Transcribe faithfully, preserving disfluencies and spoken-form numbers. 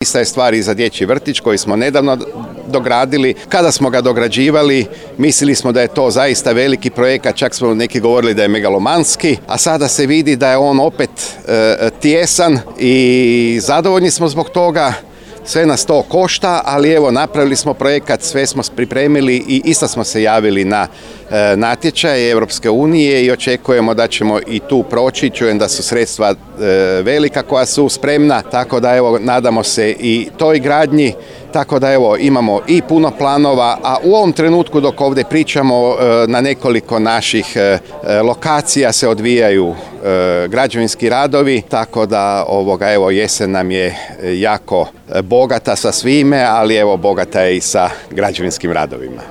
Ista je stvar i za dječji vrtić koji smo nedavno dogradili. Kada smo ga dograđivali, mislili smo da je to zaista veliki projekat, čak smo neki govorili da je megalomanski, a sada se vidi da je on opet e, tijesan i zadovoljni smo zbog toga. Sve nas to košta, ali evo napravili smo projekat, sve smo pripremili i isto smo se javili na e, natječaj Europske unije i očekujemo da ćemo i tu proći. Čujem da su sredstva e, velika koja su spremna, tako da evo nadamo se i toj gradnji. Tako da evo imamo i puno planova, a u ovom trenutku dok ovdje pričamo na nekoliko naših lokacija se odvijaju građevinski radovi, tako da ovoga evo jesen nam je jako bogata sa svime, ali evo bogata je i sa građevinskim radovima.